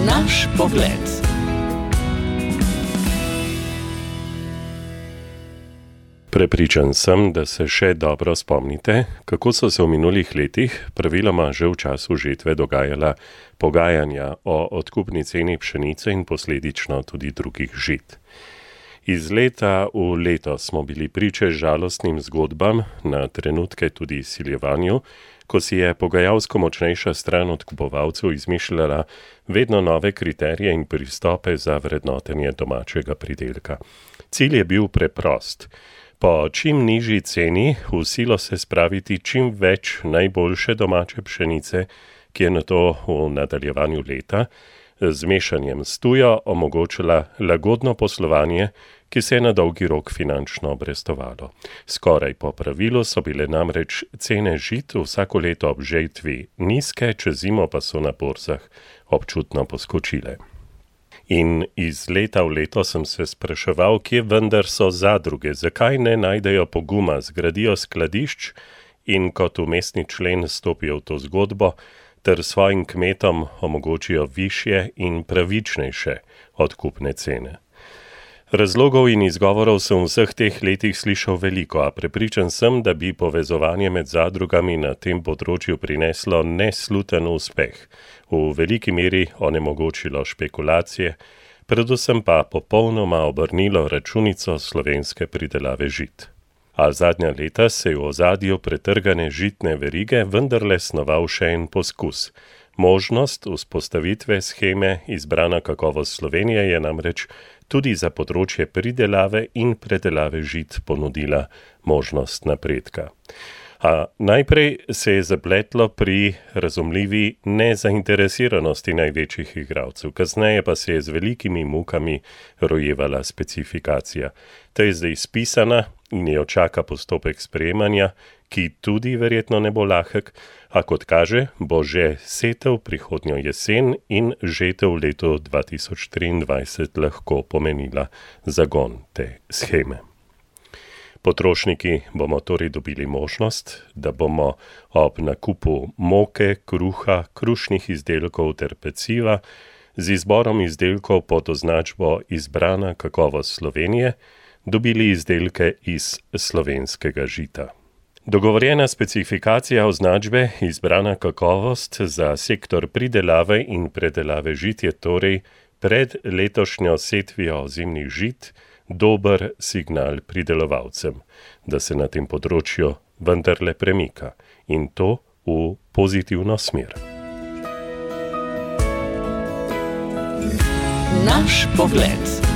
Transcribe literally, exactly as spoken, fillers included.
Naš pogled. Prepričan sem, da se še dobro spomnite, kako so se v minulih letih, praviloma že v času žetve, dogajala pogajanja o odkupni ceni pšenice in posledično tudi drugih žit. Iz leta v leto smo bili priče žalostnim zgodbam, na trenutke tudi siljevanju, ko si je pogajalsko močnejša stran odkupovalcev izmišljala vedno nove kriterije in pristope za vrednotenje domačega pridelka. Cilj je bil preprost. Po čim nižji ceni v silo se spraviti čim več najboljše domače pšenice, ki je nato v nadaljevanju leta z mešanjem s tujo omogočila lagodno poslovanje, ki se je na dolgi rok finančno obrestovalo. Skoraj po pravilu so bile namreč cene žit vsako leto ob žetvi nizke, čez zimo pa so na borzah občutno poskočile. In iz leta v leto sem se spraševal, kje vendar so zadruge, zakaj ne najdejo poguma, zgradijo skladišč in kot umestni člen stopijo v to zgodbo, ter svojim kmetom omogočijo višje in pravičnejše odkupne cene. Razlogov in izgovorov sem v vseh teh letih slišal veliko, a prepričan sem, da bi povezovanje med zadrugami na tem področju prineslo nesluten uspeh, v veliki meri onemogočilo špekulacije, predvsem pa popolnoma obrnilo računico slovenske pridelave žit. A zadnja leta se je v ozadju pretrgane žitne verige vendarle snoval še en poskus. Možnost vzpostavitve sheme Izbrana kakovost Slovenije je namreč tudi za področje pridelave in predelave žit ponudila možnost napredka. A najprej se je zapletlo pri razumljivi nezainteresiranosti največjih igralcev, kasneje pa se je z velikimi mukami rojevala specifikacija. Ta je zdaj spisana in jo čaka postopek sprejemanja, ki tudi verjetno ne bo lahek, a kot kaže, bo že setev prihodnjo jesen in žetev v letu dva tisoč triindvajset lahko pomenila zagon te sheme. Potrošniki bomo torej dobili možnost, da bomo ob nakupu moke, kruha, krušnih izdelkov ter peciva z izborom izdelkov pod označbo Izbrana kakovost Slovenije dobili izdelke iz slovenskega žita. Dogovorjena specifikacija označbe Izbrana kakovost za sektor pridelave in predelave žit je torej pred letošnjo setvijo ozimnih žit dober signal pridelovalcem, da se na tem področju vendarle premika in to v pozitivno smer. Naš pogled.